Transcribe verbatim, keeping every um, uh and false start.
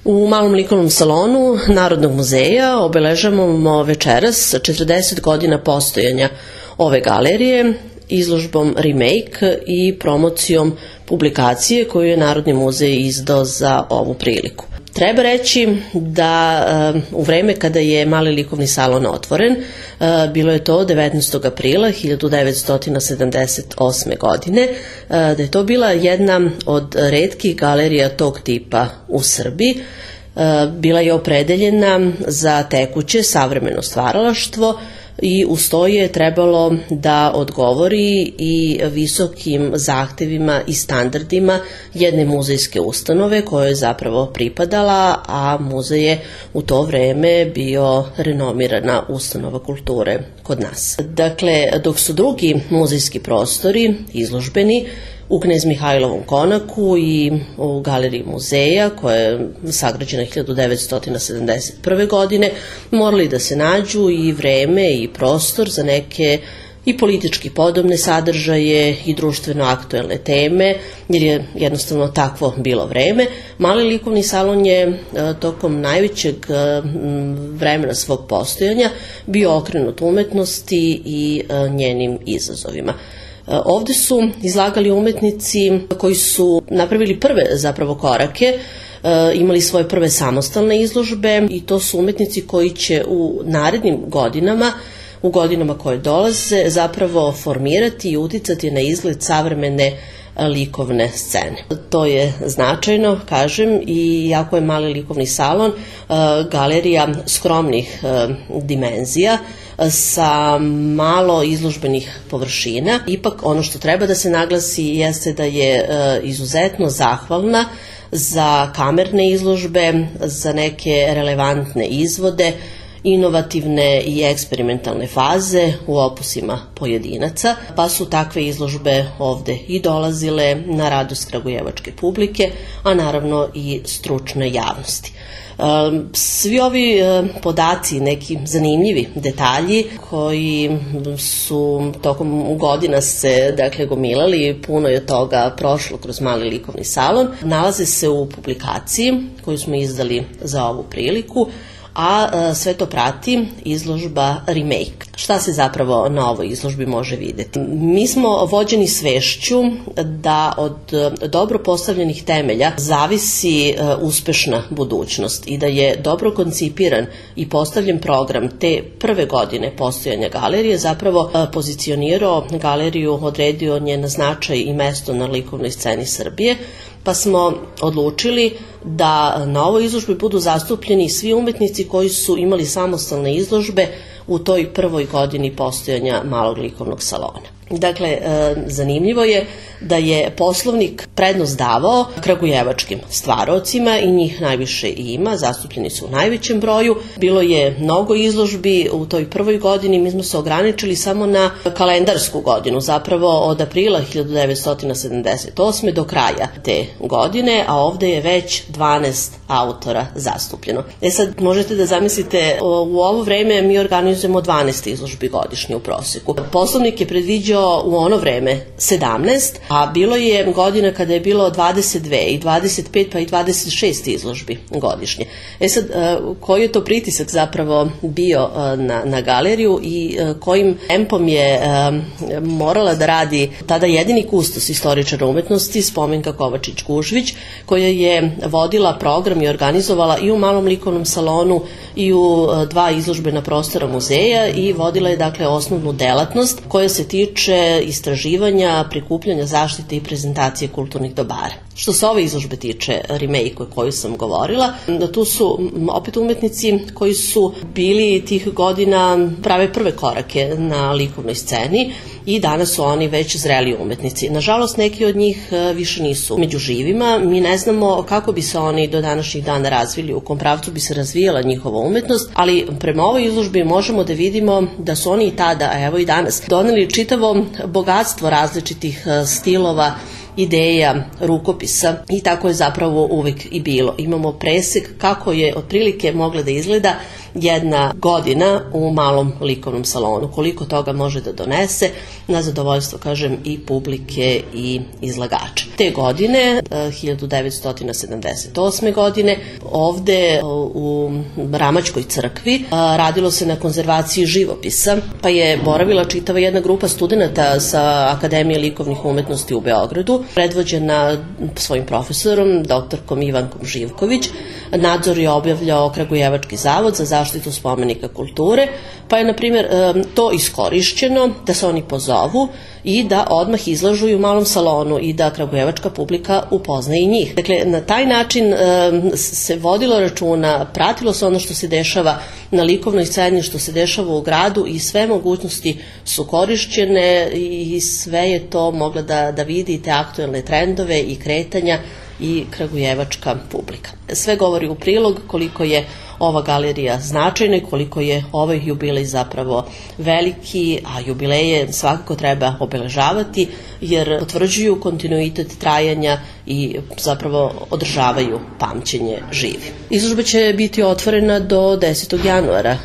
U Malom likovnom salonu Narodnog muzeja obeležavamo večeras četrdeset godina postojanja ove galerije izložbom Remake i promocijom publikacije koju je Narodni muzej izdao za ovu priliku. Treba reći da u vreme kada je Mali likovni salon otvoren, bilo je to devetnaestog aprila hiljadu devetsto sedamdeset osme. godine, da je to bila jedna od retkih galerija tog tipa u Srbiji. Bila je opredeljena za tekuće savremeno stvaralaštvo i uz to je trebalo da odgovori i visokim zahtevima i standardima jedne muzejske ustanove kojoj je zapravo pripadala, a muzej je u to vreme bio renomirana ustanova kulture kod nas. Dakle, dok su drugi muzejski prostori izložbeni u Knez Mihajlovom konaku i u galeriji muzeja, koja je sagrađena hiljadu devetsto sedamdeset prve. godine, morali da se nađu i vreme i prostor za neke i politički podobne sadržaje i društveno aktuelne teme, jer je jednostavno takvo bilo vreme. Mali likovni salon je tokom najvećeg vremena svog postojanja bio okrenut umetnosti i njenim izazovima. Ovde su izlagali umetnici koji su napravili prve zapravo korake, imali svoje prve samostalne izložbe i to su umetnici koji će u narednim godinama, u godinama koje dolaze, zapravo formirati i uticati na izgled savremene likovne scene. To je značajno, kažem, i jako je Mali likovni salon galerija skromnih dimenzija sa malo izložbenih površina. Ipak ono što treba da se naglasi jeste da je izuzetno zahvalna za kamerne izložbe, za neke relevantne izvode, inovativne i eksperimentalne faze u opusima pojedinaca, pa su takve izložbe ovde i dolazile na radost kragujevačke publike, a naravno i stručne javnosti. Svi ovi podaci, neki zanimljivi detalji koji su tokom godina se dakle gomilali, puno je toga prošlo kroz Mali likovni salon, nalaze se u publikaciji koju smo izdali za ovu priliku, a sve to prati izložba Remake. Šta se zapravo na ovoj izložbi može videti? Mi smo vođeni svešću da od dobro postavljenih temelja zavisi uspešna budućnost i da je dobro koncipiran i postavljen program te prve godine postojanja galerije zapravo pozicionirao galeriju, odredio njen značaj i mesto na likovnoj sceni Srbije, pa smo odlučili da na ovoj izložbi budu zastupljeni svi umetnici koji su imali samostalne izložbe u toj prvoj godini postojanja Malog likovnog salona. Dakle, zanimljivo je da je poslovnik prednost davao kragujevačkim stvaraocima i njih najviše i ima, zastupljeni su u najvećem broju. Bilo je mnogo izložbi u toj prvoj godini, mi smo se ograničili samo na kalendarsku godinu, zapravo od aprila hiljadu devetsto sedamdeset osme. do kraja te godine, a ovde je već dvanaest autora zastupljeno. E sad, možete da zamislite, u ovo vreme mi organizujemo dvanaest izložbi godišnje u proseku. Poslovnik je predviđao u ono vreme sedamnaest, a bilo je godina kada je bilo dvadeset dve i dvadeset pet pa i dvadeset šest izložbi godišnje. E sad, koji je to pritisak zapravo bio na, na galeriju i kojim tempom je morala da radi tada jedini kustos istoričara umetnosti Spomenka Kovačić-Gužvić, koja je vodila program i organizovala i u Malom likovnom salonu i u dva izložbena prostora muzeja i vodila je dakle osnovnu delatnost koja se tiče istraživanja, prikupljanja, zaštite i prezentacije kulturnih dobara. Što se ove izložbe tiče Remake o kojoj sam govorila, tu su opet umetnici koji su bili tih godina prave prve korake na likovnoj sceni i danas su oni već zreli umetnici. Nažalost, neki od njih više nisu među živima. Mi ne znamo kako bi se oni do današnjih dana razvili, u kom pravcu bi se razvijala njihova umetnost, ali prema ovoj izložbi možemo da vidimo da su oni i tada, a evo i danas, doneli čitavo bogatstvo različitih stilova, ideja, rukopisa i tako je zapravo uvek i bilo. Imamo presek kako je otprilike mogla da izgleda jedna godina u malom likovnom salonu. Koliko toga može da donese na zadovoljstvo, kažem, i publike i izlagača. Te godine, hiljadu devetsto sedamdeset osme godine, ovde u Ramačkoj crkvi radilo se na konzervaciji živopisa, pa je boravila čitava jedna grupa studenta sa Akademije likovnih umetnosti u Beogradu, predvođena svojim profesorom, doktorkom Ivankom Živković. Nadzor je obavljao Kragujevački zavod za zaštitu spomenika kulture, pa je, na primjer, to iskorišćeno da se oni pozovu i da odmah izlažu i u malom salonu i da kragujevačka publika upozna i njih. Dakle, na taj način se vodilo računa, pratilo se ono što se dešava na likovnoj sceni, što se dešava u gradu i sve mogućnosti su korišćene i sve je to mogla da, da vidi, te aktuelne trendove i kretanja i kragujevačka publika. Sve govori u prilog koliko je ova galerija značajna i koliko je ovaj jubilej zapravo veliki, a jubileje svakako treba obeležavati jer potvrđuju kontinuitet trajanja i zapravo održavaju pamćenje živi. Izložba će biti otvorena do desetog januara